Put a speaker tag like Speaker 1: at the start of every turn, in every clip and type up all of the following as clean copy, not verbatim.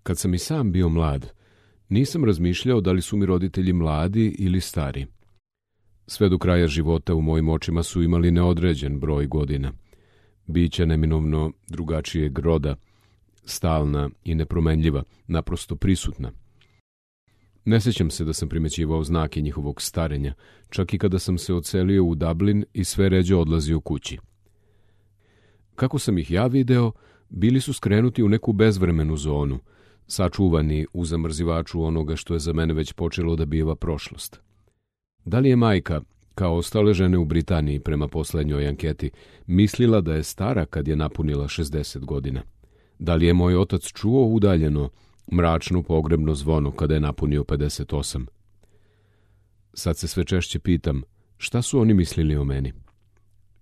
Speaker 1: Kad sam i sam bio mlad, nisam razmišljao da li su mi roditelji mladi ili stari. Sve do kraja života u mojim očima su imali neodređen broj godina. Bića neminovno drugačijeg roda, stalna i nepromenljiva, naprosto prisutna. Ne sjećam se da sam primećivao znake njihovog starenja, čak i kada sam se odselio u Dublin i sve ređe odlazio kući. Kako sam ih ja video, bili su skrenuti u neku bezvremenu zonu, sačuvani u zamrzivaču onoga što je za mene već počelo da biva prošlost. Da li je majka, kao ostale žene u Britaniji prema poslednjoj anketi, mislila da je stara kad je napunila 60 godina? Da li je moj otac čuo udaljeno mračno pogrebno zvono kada je napunio 58? Sad se sve češće pitam, šta su oni mislili o meni?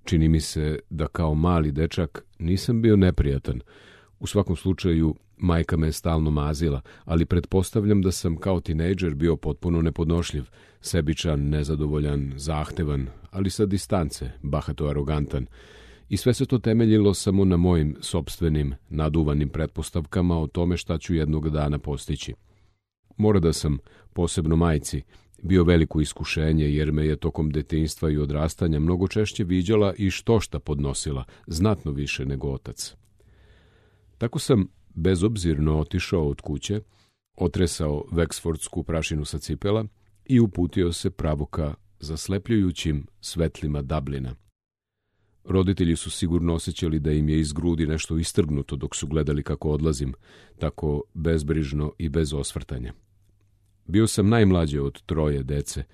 Speaker 1: Čini mi se da kao mali dečak nisam bio neprijatan. U svakom slučaju, majka me je stalno mazila, ali pretpostavljam da sam kao tinejdžer bio potpuno nepodnošljiv, sebičan, nezadovoljan, zahtevan, ali sa distance, bahato arogantan. I sve se to temeljilo samo na mojim sopstvenim, naduvanim pretpostavkama o tome šta ću jednog dana postići. Mora da sam, posebno majci, bio veliko iskušenje jer me je tokom detinjstva i odrastanja mnogo češće viđala i štošta podnosila, znatno više nego otac. Tako sam bezobzirno otišao od kuće, otresao veksfordsku prašinu sa cipela i uputio se pravo ka zaslepljujućim svetlima Dublina. Roditelji su sigurno osjećali da im je iz grudi nešto istrgnuto dok su gledali kako odlazim, tako bezbrižno i bez osvrtanja. Bio sam najmlađe od 3 dece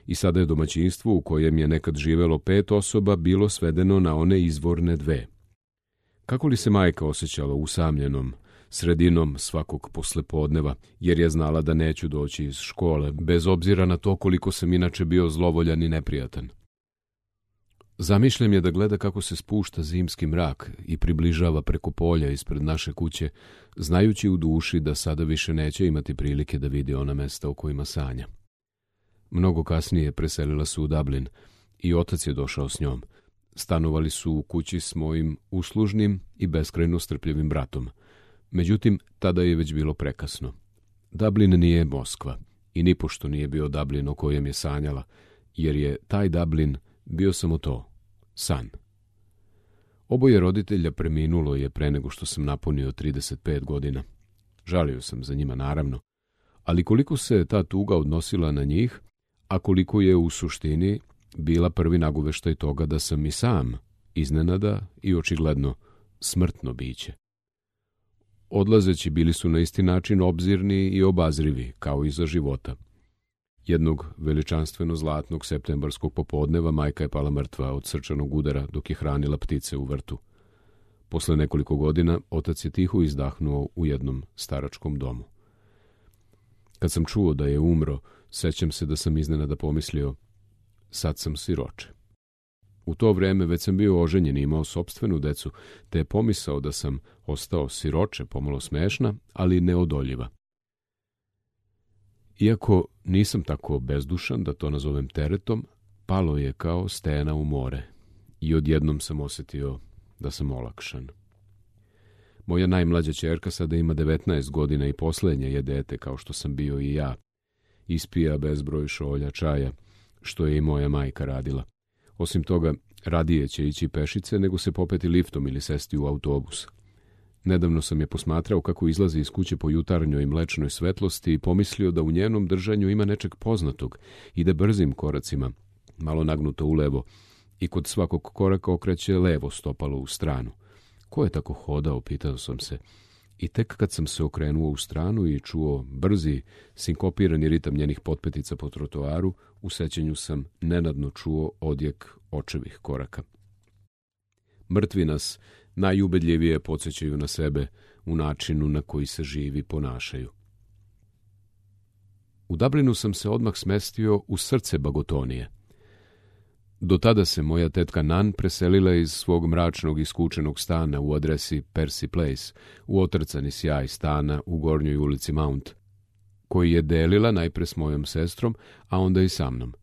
Speaker 1: i sada je domaćinstvo u kojem je nekad živelo 5 osoba bilo svedeno na one izvorne 2. Kako li se majka osjećala usamljenom, sredinom svakog poslepodneva, jer je znala da neću doći iz škole, bez obzira na to koliko sam inače bio zlovoljan i neprijatan. Zamišljam je da gleda kako se spušta zimski mrak i približava preko polja ispred naše kuće, znajući u duši da sada više neće imati prilike da vidi ona mesta o kojima sanja. Mnogo kasnije preselila su u Dublin i otac je došao s njom. Stanovali su u kući s mojim uslužnim i beskrajno strpljivim bratom. Međutim, tada je već bilo prekasno. Dublin nije Moskva i nipošto nije bio Dublin o kojem je sanjala, jer je taj Dublin bio samo to, san. Oboje roditelja preminulo je pre nego što sam napunio 35 godina. Žalio sam za njima, naravno, ali koliko se ta tuga odnosila na njih, a koliko je u suštini bila prvi nagoveštaj toga da sam i sam iznenada i očigledno smrtno biće. Odlazeći bili su na isti način obzirni i obazrivi, kao i za života. Jednog veličanstveno zlatnog septembarskog popodneva majka je pala mrtva od srčanog udara dok je hranila ptice u vrtu. Posle nekoliko godina otac je tiho izdahnuo u jednom staračkom domu. Kad sam čuo da je umro, sećam se da sam iznenada pomislio, sad sam siroče. U to vreme već sam bio oženjen i imao sopstvenu decu, te je pomisao da sam ostao siroče pomalo smešna, ali neodoljiva. Iako nisam tako bezdušan da to nazovem teretom, palo je kao stena u more i odjednom sam osjetio da sam olakšan. Moja najmlađa ćerka sada ima 19 godina i poslednje je dete kao što sam bio i ja. Ispija bezbroj šolja čaja, što je i moja majka radila. Osim toga, radije će ići pešice nego se popeti liftom ili sesti u autobus. Nedavno sam je posmatrao kako izlazi iz kuće po jutarnjoj mlečnoj svetlosti i pomislio da u njenom držanju ima nečeg poznatog. Ide brzim koracima, malo nagnuto ulevo, i kod svakog koraka okreće levo stopalo u stranu. Ko je tako hodao, pitao sam se. I tek kad sam se okrenuo u stranu i čuo brzi, sinkopirani ritam njenih potpetica po trotoaru, u sećanju sam nenadno čuo odjek očevih koraka. Mrtvi nas najubedljivije podsjećaju na sebe u načinu na koji se živi ponašaju. U Dublinu sam se odmah smestio u srce Bagotonije. Do tada se moja tetka Nan preselila iz svog mračnog i skučenog stana u adresi Percy Place, u otrcani sjaj stana u Gornjoj ulici Mount, koji je delila najpre s mojom sestrom, a onda i sa mnom.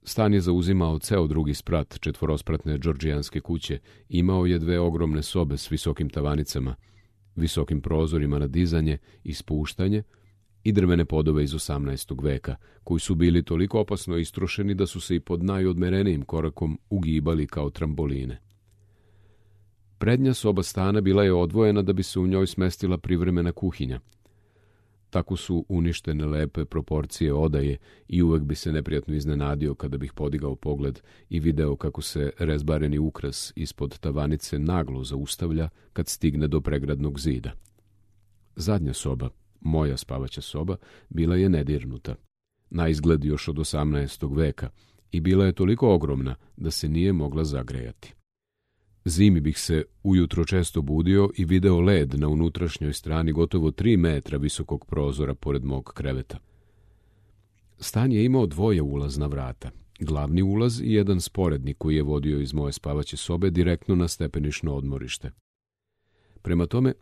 Speaker 1: Stan je zauzimao ceo drugi sprat četvorospratne džordžijanske kuće, imao je 2 ogromne sobe s visokim tavanicama visokim prozorima na dizanje i spuštanje i drvene podove iz 18. veka, koji su bili toliko opasno istrošeni da su se i pod najodmerenijim korakom ugibali kao tramboline. Prednja soba stana bila je odvojena da bi se u njoj smestila privremena kuhinja. Tako su uništene lepe proporcije odaje i uvek bi se neprijatno iznenadio kada bih podigao pogled i video kako se rezbareni ukras ispod tavanice naglo zaustavlja kad stigne do pregradnog zida. Zadnja soba, moja spavaća soba, bila je nedirnuta, na izgled još od 18. veka, i bila je toliko ogromna da se nije mogla zagrejati. Zimi bih se ujutro često budio i video led na unutrašnjoj strani gotovo 3 metra visokog prozora pored mog kreveta. Stan je imao 2 ulazna vrata, glavni ulaz i jedan sporedni koji je vodio iz moje spavaće sobe direktno na stepenišno odmorište. Prema tome,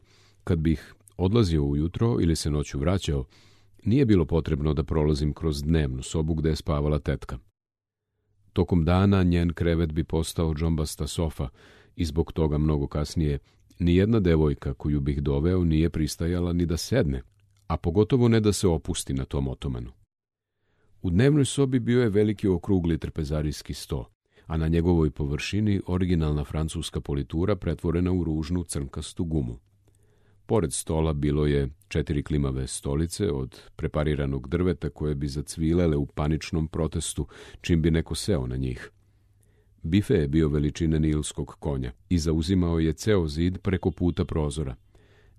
Speaker 1: kad bih odlazio ujutro ili se noću vraćao, nije bilo potrebno da prolazim kroz dnevnu sobu gde je spavala tetka. Tokom dana njen krevet bi postao džombasta sofa i zbog toga mnogo kasnije nijedna devojka koju bih doveo nije pristajala ni da sedne, a pogotovo ne da se opusti na tom otomanu. U dnevnoj sobi bio je veliki okrugli trpezarijski sto, a na njegovoj površini originalna francuska politura pretvorena u ružnu crnkastu gumu. Pored stola bilo je 4 klimave stolice od prepariranog drveta koje bi zacvilele u paničnom protestu čim bi neko seo na njih. Bife je bio veličine nilskog konja i zauzimao je ceo zid preko puta prozora.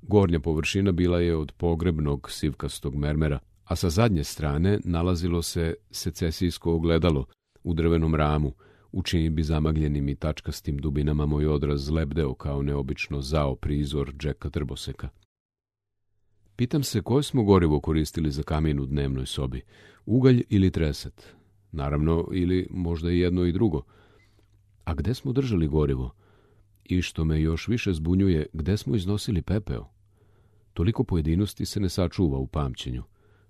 Speaker 1: Gornja površina bila je od pogrebnog sivkastog mermera, a sa zadnje strane nalazilo se secesijsko ogledalo u drvenom ramu, u čijim bi zamagljenim i tačkastim dubinama moj odraz lebdeo kao neobično zao prizor Jacka Trboseka. Pitam se koje smo gorivo koristili za kamin u dnevnoj sobi, ugalj ili treset, naravno ili možda i jedno i drugo. A gde smo držali gorivo? I što me još više zbunjuje, gde smo iznosili pepeo? Toliko pojedinosti se ne sačuva u pamćenju,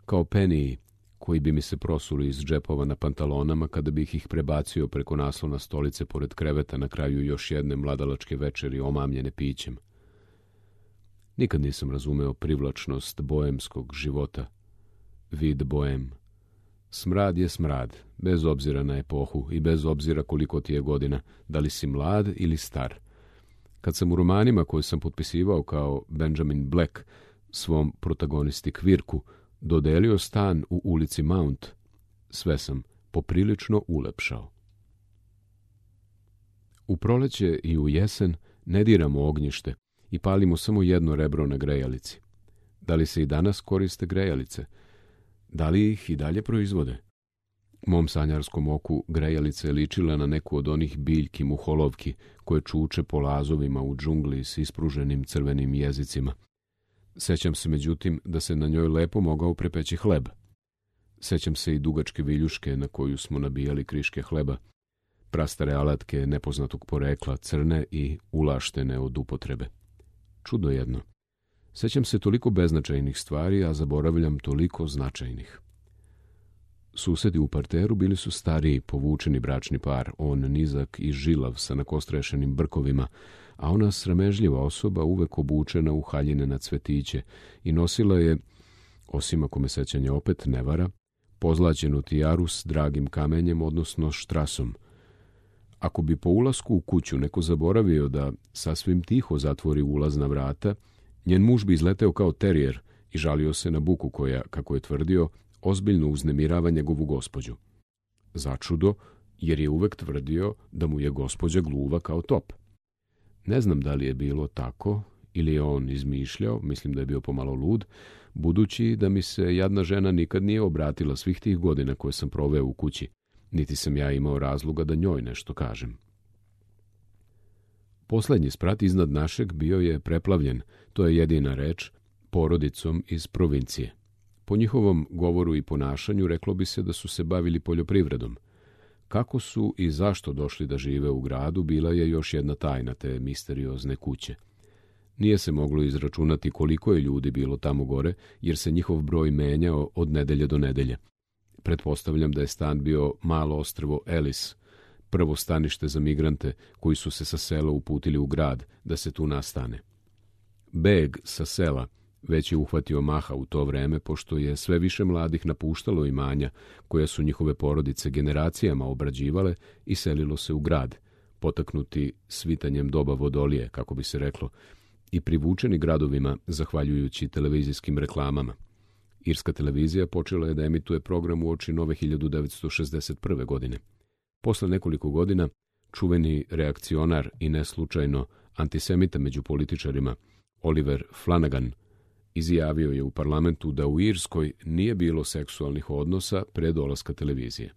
Speaker 1: kao peniji koji bi mi se prosuli iz džepova na pantalonama kada bih ih prebacio preko naslona stolice pored kreveta na kraju još jedne mladalačke večeri omamljene pićem. Nikad nisam razumeo privlačnost boemskog života. Vid boem. Smrad je smrad, bez obzira na epohu i bez obzira koliko ti je godina, da li si mlad ili star. Kad sam u romanima koje sam potpisivao kao Benjamin Black svom protagonisti Kvirku dodelio stan u ulici Mount, sve sam poprilično ulepšao. U proleće i u jesen ne diramo ognjište i palimo samo jedno rebro na grejalici. Da li se i danas koriste grejalice? Da li ih i dalje proizvode? Mom sanjarskom oku grejalica je ličila na neku od onih biljki muholovki koje čuče po lazovima u džungli s ispruženim crvenim jezicima. Sećam se, međutim, da se na njoj lepo mogao prepeći hleb. Sećam se i dugačke viljuške na koju smo nabijali kriške hleba, prastare alatke nepoznatog porekla, crne i ulaštene od upotrebe. Čudo jedno. Sećam se toliko beznačajnih stvari, a zaboravljam toliko značajnih. Susedi u parteru bili su stariji, povučeni bračni par, on nizak i žilav sa nakostrešenim brkovima, a ona sramežljiva osoba uvek obučena u haljine na cvetiće i nosila je, osim ako me sećanje opet ne vara, pozlaćenu tijaru s dragim kamenjem, odnosno štrasom. Ako bi po ulasku u kuću neko zaboravio da sasvim tiho zatvori ulazna vrata, njen muž bi izleteo kao terijer i žalio se na buku koja, kako je tvrdio, ozbiljno uznemirava njegovu gospođu. Začudo, jer je uvek tvrdio da mu je gospođa gluva kao top. Ne znam da li je bilo tako ili je on izmišljao, mislim da je bio pomalo lud, budući da mi se jadna žena nikad nije obratila svih tih godina koje sam proveo u kući, niti sam ja imao razloga da njoj nešto kažem. Poslednji sprat iznad našeg bio je preplavljen, to je jedina reč, porodicom iz provincije. Po njihovom govoru i ponašanju reklo bi se da su se bavili poljoprivredom. Kako su i zašto došli da žive u gradu bila je još jedna tajna te misteriozne kuće. Nije se moglo izračunati koliko je ljudi bilo tamo gore, jer se njihov broj menjao od nedelje do nedelje. Pretpostavljam da je stan bio malo ostrvo Ellis, prvo stanište za migrante koji su se sa sela uputili u grad da se tu nastane. Beg sa sela već je uhvatio maha u to vreme, pošto je sve više mladih napuštalo imanja koja su njihove porodice generacijama obrađivale i selilo se u grad, potaknuti svitanjem doba vodolije, kako bi se reklo, i privučeni gradovima zahvaljujući televizijskim reklamama. Irska televizija počela je da emituje program uoči nove 1961. godine. Posle nekoliko godina, čuveni reakcionar i neslučajno antisemita među političarima Oliver Flanagan izjavio je u parlamentu da u Irskoj nije bilo seksualnih odnosa pre dolaska televizije.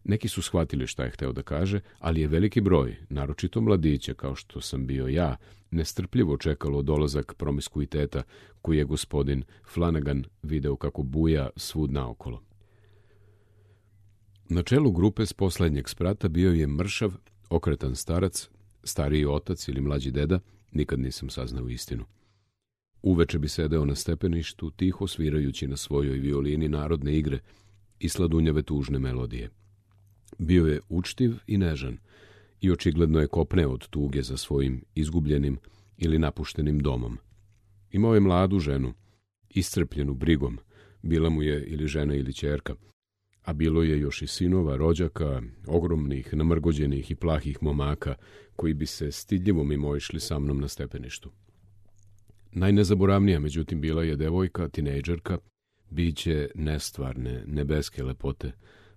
Speaker 1: Neki su shvatili šta je hteo da kaže, ali je veliki broj, naročito mladića kao što sam bio ja, nestrpljivo čekalo dolazak promiskuiteta koji je gospodin Flanagan video kako buja svud naokolo. Na čelu grupe s poslednjeg sprata bio je mršav, okretan starac, stariji otac ili mlađi deda, nikad nisam saznao istinu. Uveče bi sedeo na stepeništu, tiho svirajući na svojoj violini narodne igre i sladunjave tužne melodije. Bio je učtiv i nežan i očigledno je kopneo od tuge za svojim izgubljenim ili napuštenim domom. Imao je mladu ženu, iscrpljenu brigom, bila mu je ili žena ili ćerka, a bilo je još i sinova, rođaka, ogromnih, namrgođenih i plahih momaka koji bi se stidljivo mimoišli sa mnom na stepeništu. Najnezaboravnija, međutim, bila je devojka, tinejdžerka, biće nestvarne, nebeske lepote,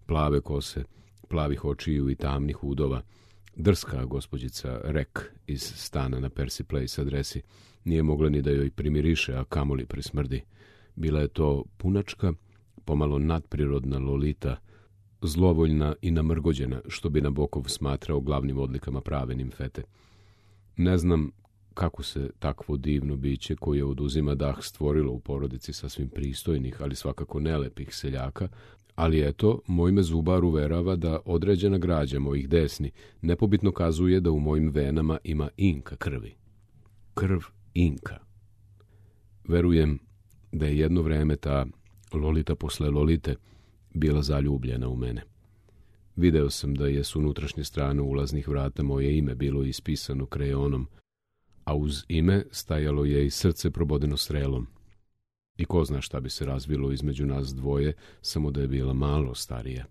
Speaker 1: plave kose, plavih očiju i tamnih udova, drska gospođica Rek iz stana na Percy Place adresi, nije mogla ni da joj primiriše, a kamoli prismrdi. Bila je to punačka, pomalo nadprirodna Lolita, zlovoljna i namrgođena, što bi Nabokov smatrao glavnim odlikama prave nimfete. Ne znam kako se takvo divno biće koje oduzima dah stvorilo u porodici sasvim pristojnih, ali svakako nelepih seljaka, ali eto, moj me zubar uverava da određena građa mojih desni nepobitno kazuje da u mojim venama ima Inka krvi. Krv Inka. Verujem da je jedno vreme ta Lolita posle Lolite bila zaljubljena u mene. Video sam da je s unutrašnje strane ulaznih vrata moje ime bilo ispisano krejonom, a uz ime stajalo je i srce probodeno strelom. I ko zna šta bi se razvilo između nas dvoje, samo da je bila malo starija.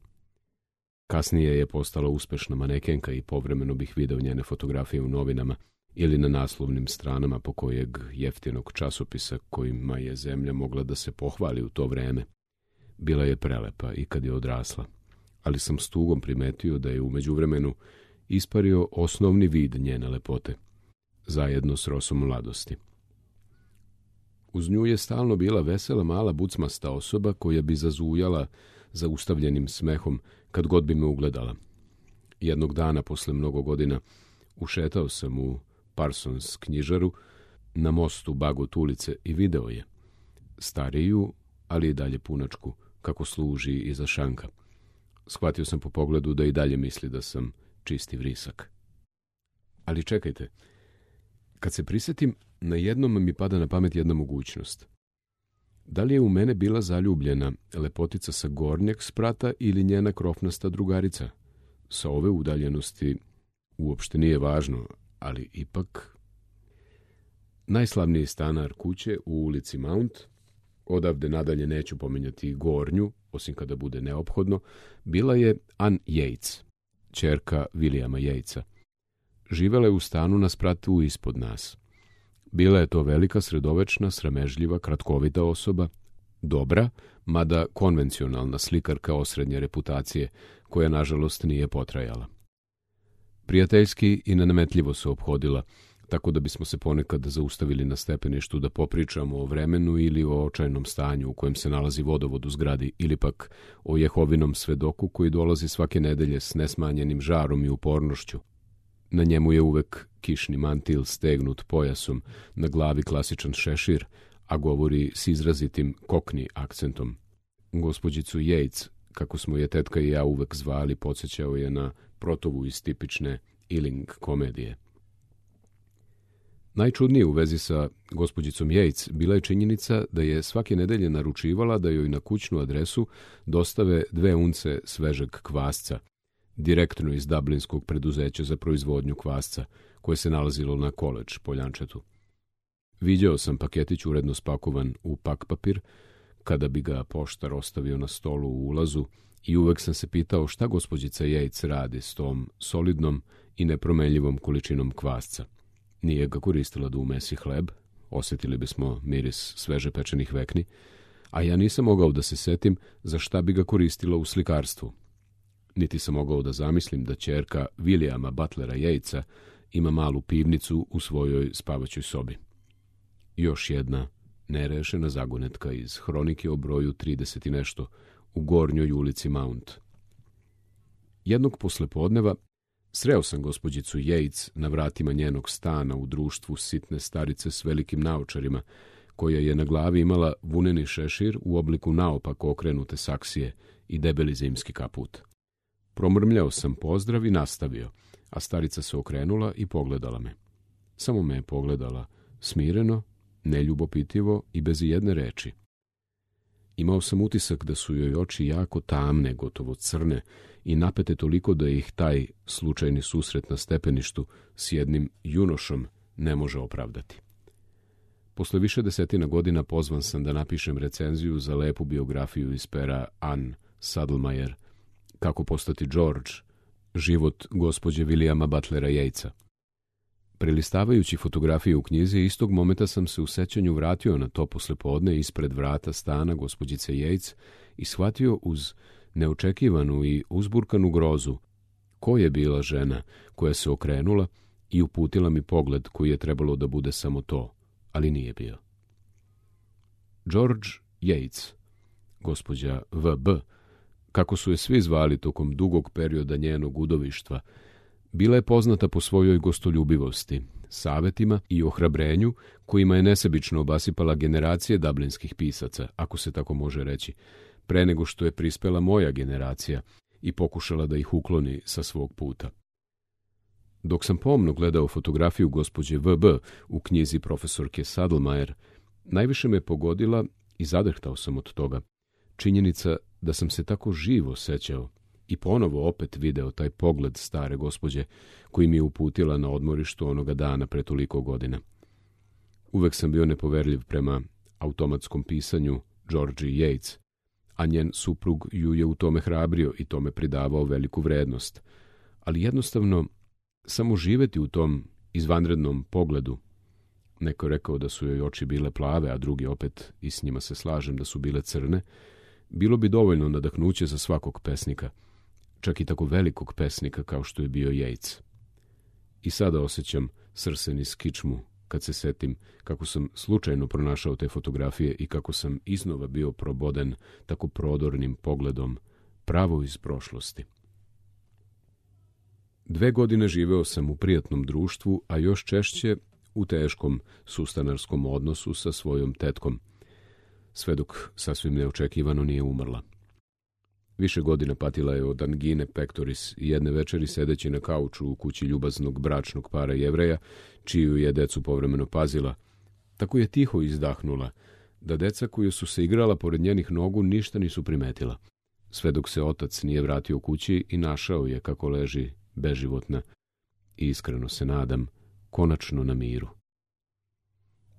Speaker 1: Kasnije je postala uspešna manekenka i povremeno bih video njene fotografije u novinama ili na naslovnim stranama pokojeg jeftinog časopisa kojima je zemlja mogla da se pohvali u to vreme. Bila je prelepa i kad je odrasla, ali sam s tugom primetio da je u međuvremenu ispario osnovni vid njene lepote, zajedno s rosom mladosti. Uz nju je stalno bila vesela mala bucmasta osoba koja bi zazujala zaustavljenim smehom kad god bi me ugledala. Jednog dana posle mnogo godina ušetao sam u Parsons knjižaru na mostu Bagot ulice i video je. Stariju, ali i dalje punačku, kako služi iza šanka. Shvatio sam po pogledu da i dalje misli da sam čisti vrisak. Ali čekajte, kad se prisjetim, na jednom mi pada na pamet jedna mogućnost. Da li je u mene bila zaljubljena lepotica sa gornjeg sprata ili njena krofnasta drugarica? Sa ove udaljenosti uopšte nije važno, ali ipak... Najslavniji stanar kuće u ulici Mount, odavde nadalje neću pominjati gornju, osim kada bude neophodno, bila je Ann Yates, ćerka Williama Yatesa. Živela je u stanu na spratu ispod nas. Bila je to velika, sredovečna, sramežljiva, kratkovita osoba, dobra, mada konvencionalna slikarka osrednje reputacije, koja nažalost nije potrajala. Prijateljski i nenametljivo se ophodila, tako da bismo se ponekad zaustavili na stepeništu da popričamo o vremenu ili o očajnom stanju u kojem se nalazi vodovod u zgradi, ili pak o Jehovinom svedoku koji dolazi svake nedelje s nesmanjenim žarom i upornošću. Na njemu je uvek kišni mantil stegnut pojasom, na glavi klasičan šešir, a govori s izrazitim kokni akcentom. Gospođicu Yates, kako smo je tetka i ja uvek zvali, podsjećao je na protovu iz tipične Ealing komedije. Najčudnije u vezi sa gospođicom Yates bila je činjenica da je svake nedelje naručivala da joj na kućnu adresu dostave 2 unce svežeg kvasca, direktno iz dublinskog preduzeća za proizvodnju kvasca, koje se nalazilo na College Poljančetu. Viđao sam paketić uredno spakovan u pak papir, kada bi ga poštar ostavio na stolu u ulazu, i uvek sam se pitao šta gospođica Yates radi s tom solidnom i nepromenljivom količinom kvasca. Nije ga koristila da umesi hleb, osjetili bismo miris sveže pečenih vekni, a ja nisam mogao da se setim za šta bi ga koristila u slikarstvu. Niti sam mogao da zamislim da ćerka Williama Butlera Yatesa ima malu pivnicu u svojoj spavaćoj sobi. Još jedna nerešena zagonetka iz hronike o broju 30 i nešto u Gornjoj ulici Mount. Jednog poslepodneva sreo sam gospođicu Yates na vratima njenog stana u društvu sitne starice s velikim naočarima, koja je na glavi imala vuneni šešir u obliku naopako okrenute saksije i debeli zimski kaput. Promrmljao sam pozdrav i nastavio, a starica se okrenula i pogledala me. Samo me je pogledala, smireno, neljubopitivo i bez jedne reči. Imao sam utisak da su joj oči jako tamne, gotovo crne, i napete toliko da ih taj slučajni susret na stepeništu s jednim junošom ne može opravdati. Posle više desetina godina pozvan sam da napišem recenziju za lepu biografiju iz pera Anne Saddlemeyer, Kako postati George, život gospođe Williama Butlera Yatesa. Prelistavajući fotografije u knjizi, istog momenta sam se u sećanju vratio na to poslepodne ispred vrata stana gospođice Yates i shvatio uz neočekivanu i uzburkanu grozu ko je bila žena koja se okrenula i uputila mi pogled koji je trebalo da bude samo to, ali nije bio. George Yates, gospođa V.B., kako su je svi zvali tokom dugog perioda njenog udovištva, bila je poznata po svojoj gostoljubivosti, savetima i ohrabrenju kojima je nesebično obasipala generacije dublinskih pisaca, ako se tako može reći, pre nego što je prispela moja generacija i pokušala da ih ukloni sa svog puta. Dok sam pomno gledao fotografiju gospođe V.B. u knjizi profesorke Saddlemeyer, najviše me pogodila i zadrhtao sam od toga činjenica da sam se tako živo sećao i ponovo opet video taj pogled stare gospođe koji mi je uputila na odmorištu onoga dana pre toliko godina. Uvek sam bio nepoverljiv prema automatskom pisanju Georgie Yates, a njen suprug ju je u tome hrabrio i tome pridavao veliku vrednost. Ali jednostavno, samo živeti u tom izvanrednom pogledu, neko je rekao da su joj oči bile plave, a drugi opet, i s njima se slažem, da su bile crne, bilo bi dovoljno nadahnuće za svakog pesnika, čak i tako velikog pesnika kao što je bio Yates. I sada osjećam srsen iz kičmu kad se setim kako sam slučajno pronašao te fotografije i kako sam iznova bio proboden tako prodornim pogledom pravo iz prošlosti. 2 godine živeo sam u prijatnom društvu, a još češće u teškom sustanarskom odnosu sa svojom tetkom, sve dok sasvim neočekivano nije umrla. Više godina patila je od angine pectoris i jedne večeri sedeći na kauču u kući ljubaznog bračnog para Jevreja, čiju je decu povremeno pazila, tako je tiho izdahnula da deca koji su se igrala pored njenih nogu ništa nisu primetila, sve dok se otac nije vratio kući i našao je kako leži beživotna i iskreno se nadam konačno na miru.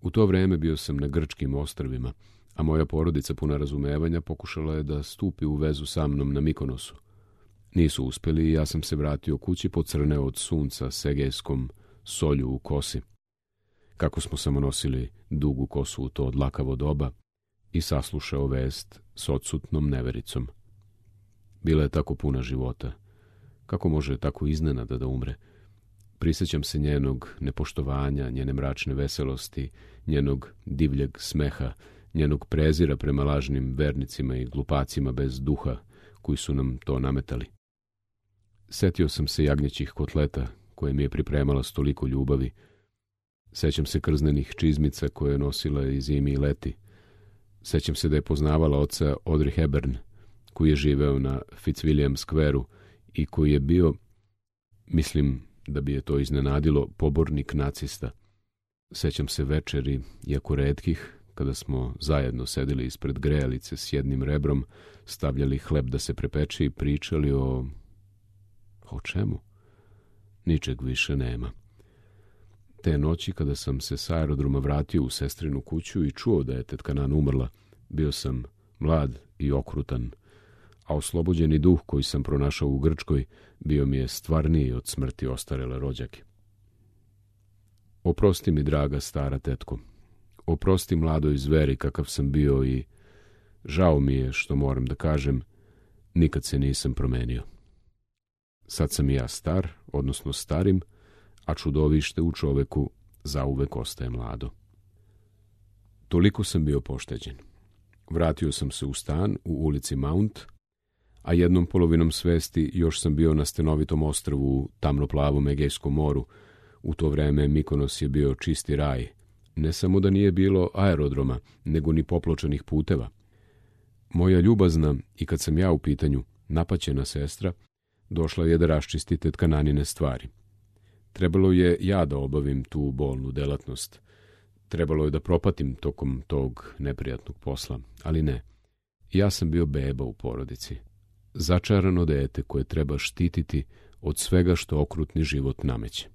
Speaker 1: U to vreme bio sam na grčkim ostrvima, a moja porodica puna razumevanja pokušala je da stupi u vezu sa mnom na Mikonosu. Nisu uspeli i ja sam se vratio kući pocrneo od sunca s egejskom solju u kosi. Kako smo samo nosili dugu kosu u to dlakavo doba i saslušao vest s odsutnom nevericom. Bila je tako puna života. Kako može tako iznenada da umre? Prisećam se njenog nepoštovanja, njene mračne veselosti, njenog divljeg smeha, njenog prezira prema lažnim vernicima i glupacima bez duha koji su nam to nametali. Setio sam se jagnjećih kotleta koje mi je pripremala s toliko ljubavi. Sećam se krznenih čizmica koje je nosila i zimi i leti. Sećam se da je poznavala oca Audrey Hepburn, koji je živeo na Fitzwilliam Square-u i koji je bio, mislim da bi je to iznenadilo, pobornik nacista. Sećam se večeri, iako retkih, kada smo zajedno sedeli ispred grejalice s jednim rebrom, stavljali hleb da se prepeče i pričali o čemu? Ničeg više nema. Te noći, kada sam se s aerodroma vratio u sestrinu kuću i čuo da je tetka Nan umrla, bio sam mlad i okrutan, a oslobođeni duh koji sam pronašao u Grčkoj bio mi je stvarniji od smrti ostarele rođake. Oprosti mi, draga stara tetko. Oprosti mladoj zveri kakav sam bio i žao mi je što moram da kažem, nikad se nisam promenio. Sad sam i ja star, odnosno starim, a čudovište u čoveku zauvek ostaje mlado. Toliko sam bio pošteđen. Vratio sam se u stan u ulici Mount, a jednom polovinom svesti još sam bio na stenovitom ostrvu u tamnoplavom Egejskom moru. U to vreme Mikonos je bio čisti raj. Ne samo da nije bilo aerodroma, nego ni popločanih puteva. Moja ljubazna, i kad sam ja u pitanju, napaćena sestra, došla je da raščisti tetka Nanine stvari. Trebalo je ja da obavim tu bolnu delatnost. Trebalo je da propatim tokom tog neprijatnog posla, ali ne. Ja sam bio beba u porodici. Začarano dete koje treba štititi od svega što okrutni život nameće.